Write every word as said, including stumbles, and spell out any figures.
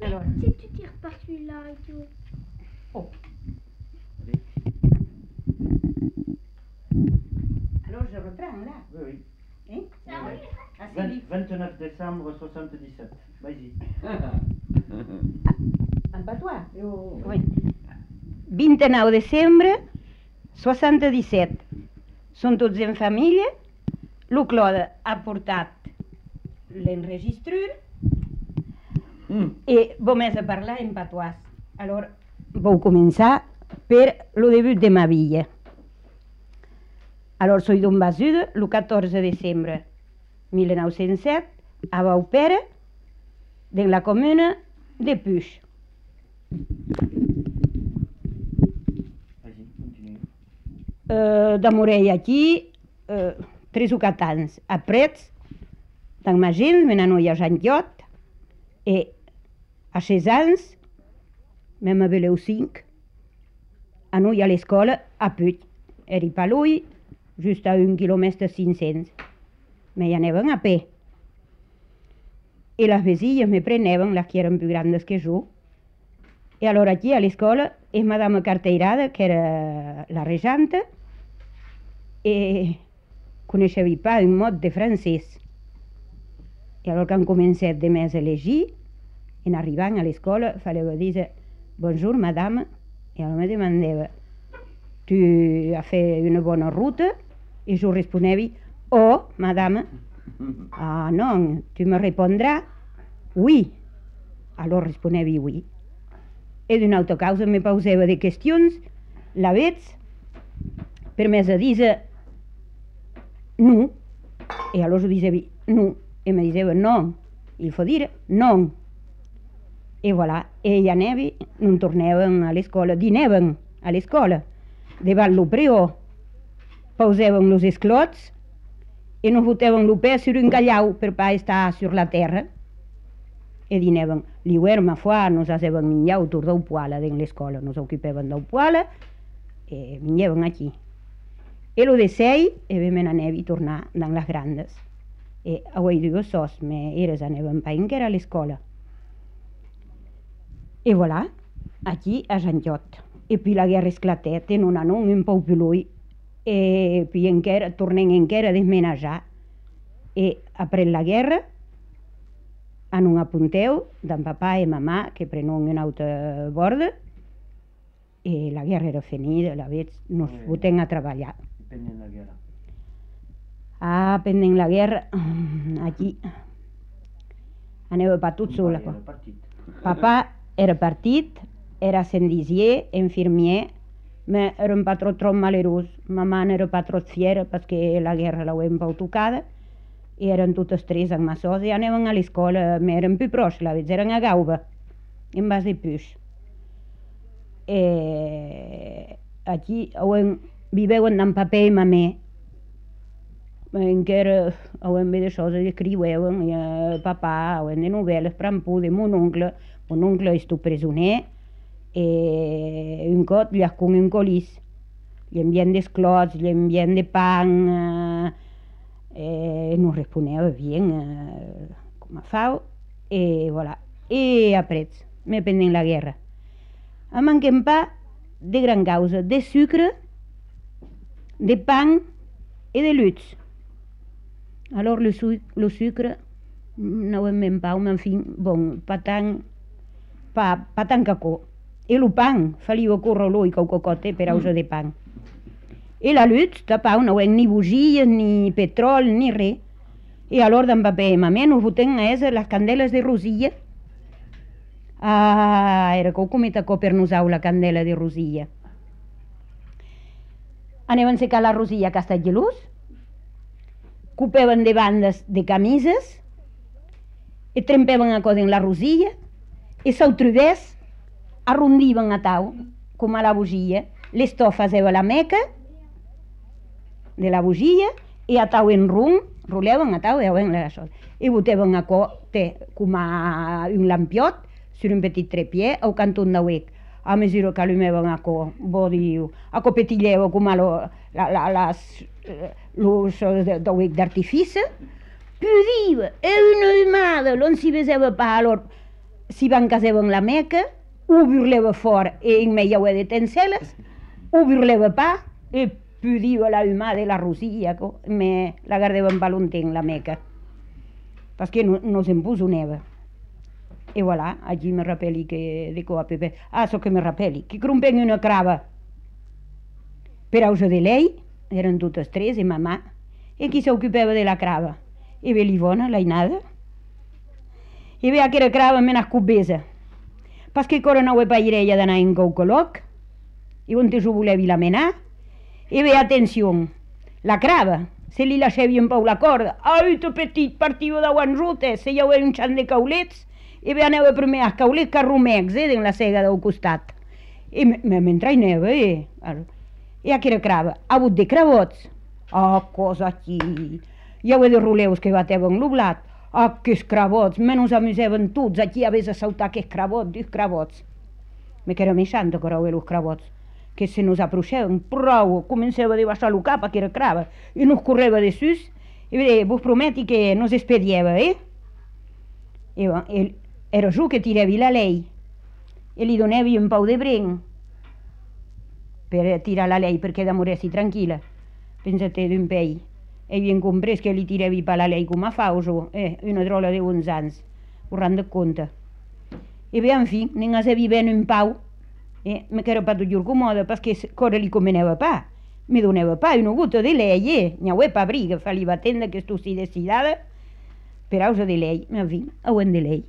Alors. Si tu tires pas celui-là et tout. Oh. Alors je reprends là. Oui, oui. Hein? Ah oui. Ah, c'est vingt- lui. vingt-neuf décembre soixante-dix-sept. Vas-y. En patois? Oui. vint-i-nou de desembre seixanta-disset. Són tots en família. El Claude ha portat l'enregistrur Mm. i vam a parlar en patois. Alors, vau començar per el debut de ma villa. Alors, soy d'un basuda, el catorze de desembre mil nou-cents set, a Baupera, de la comuna de Puix. Vas-y, continue. Uh, de Morell aquí, uh, tres o quatre anys. Aprets, tant ma gent, me n'anoia a Sant Llot, e a ses anys, mem a veleu cinc, anoia a l'escola a Puig. Eri pa lui, just a un quilòmetre cinc-cents. Me hi anaven a peu. I les vesilles me preneven, les que eren més grandes que jo. I allora aquí a l'escola és madame Carteirada, que era la regenta, i coneixeva pas un mot de francès. I allora que han començat de més a llegir, en arribant a l'escola, fallava dir bonjour madame, i allora me demandava tu has fet una bona ruta? I jo responeva oh madame. Ah non, tu me répondràs oui. Alors responeva oui. E d'una altra causa me posava de qüestions, la veig, per més a dir no. E allora jo diceva no. E me diceva no. Il faut dire non. E voilà. E ja anava, non tornaven a l'escola, dinaven a l'escola. Davant lo prior posaven los esclots i nos fotaven lo peu sur un callau per pas estar sur la terra. E dinaven. L'hivern, ma foi, nos hasaven menjar autour del poala dins l'escola. Nos ocupaven del poala e menjaven aquí. E lo de sei, e vam anar a tornar dans les grandes. E avui dues sos, me eres anaven pa encara a l'escola. E voilà, aquí a Sant Llot. E puis la guerra esclatet, e non anon un pou pilui. E puis encara, tornem encara a desmenajar. E après la guerra, anon apunteu d'en papà e mamà, que prenon una altra borda, e la guerra era finida, la veig, nos fotem a treballar. Pendent la guerra. Ah, pendent la guerra, aquí, anava pa tot sola. Era partit. Papà era partit, era sendisier, infirmier, ma era un patró trop malerós. Mamà n'era pas trop fiera perquè la guerra l'auem pau tocada i eren totes tres amb ma sosa i anaven a l'escola, ma eren più proche, la veig, eren a Gauba, en bas de Puix. E aquí auem, viveuen amb papà i mamà, encara auem bé de coses, escriueuen, i a papà auem de novel·les, prampú de mon oncle, mon oncle és tu presoner, e un cop gli con un colís, gli envien d'esclots, gli envien de pan, e non responeva bien, eh, com a fau, e voilà. E aprets, me pendent la guerra. A manquem pa de gran causa, de sucre, de pan e de luts. Alors le, su le sucre, no ho hem pau, mais enfin, bon, pas tant, pas, pas tant cacó. E el pan, faliu córrer l'ull que ho cocote per ausa de pan. E la lut, de pau, no hem ni bugies, ni petrol, ni res. E alor d'en papà i mamà nos fotem a esa les candeles de rosilla. Ah, era que ho cometa co per nosau la candela de rosilla. Anaven a secar la rosilla a Castellgelús, copaven de bandes de camises, e trempaven a codi en la rosilla, e se'l trobés, arrondiven a tau, com a la bugia, l'estofa seva la meca de la bugia, i a tau en rum, roleven a tau, i botaven a co, té, com a un lampiot, sur un petit trepied, au cantó d'auec. A mesura que allumaven a co, bo diu, a co petilleu, com a lo, la, la, las, los d'auec d'artifici, pudiva, e una umada, l'on s'hi besava pa, alor, si van casar en la Meca, ho virleva fort e in meia de tenceles, ho virleva pa, e pudiva la humà de la Rosia, me la guardava en Valentí en la Meca, perquè no, no se'n puso neva. E voilà, allí me rappeli que dico a Pepe, ah, so che me rappeli, che crumpen una crava per causa de lei, eren totes tres, e mamà, e qui s'occupava de la crava? E ve l'Ivona, l'ainada, e ve aquella crava me n'ha cubesa, perquè ancora no ho pairé ella d'anar en Caucoloc, e on te s'ho volevi la menar, e ve, atenció, la crava, se li lasciavi un pau la corda, ai, tu petit, partiu de guanzutes, se hi havia un xant de caulets, e ve anava primer als caulets carromecs, eh, en la cega del costat. E mentre hi anava, eh, e aquella crava, ha hagut de cravots, ah, cosa aquí, hi havia de roleus que bateven l'oblat, ah, que cravots, menys amusaven tots, aquí havies de saltar que cravots, dius cravots. Me que era més santa que eren els cravots, que se nos aproxaven, prou, començava a debaixar el cap aquella crava, i nos correva de sus, i bé, vos prometi que nos espediava, eh? I bé, era jo que tirava la lei, i li donava un pau de brenc, per tirar la lei perquè demoressi tranquil·la, pensa-te d'un pell. E havien comprès que li tirava per la lei com a fauso, eh, una drola de onze anys, ho rende compte. E bé, en fi, n'en havia ben un pau, eh, me que era pas tot comoda, perquè cosa li comenava pa, mi donava pa, una gota de lei, eh, n'hi ha pa briga, fa-li batenda que tu si decidada, per causa de lei, en fi, ho hem de lei.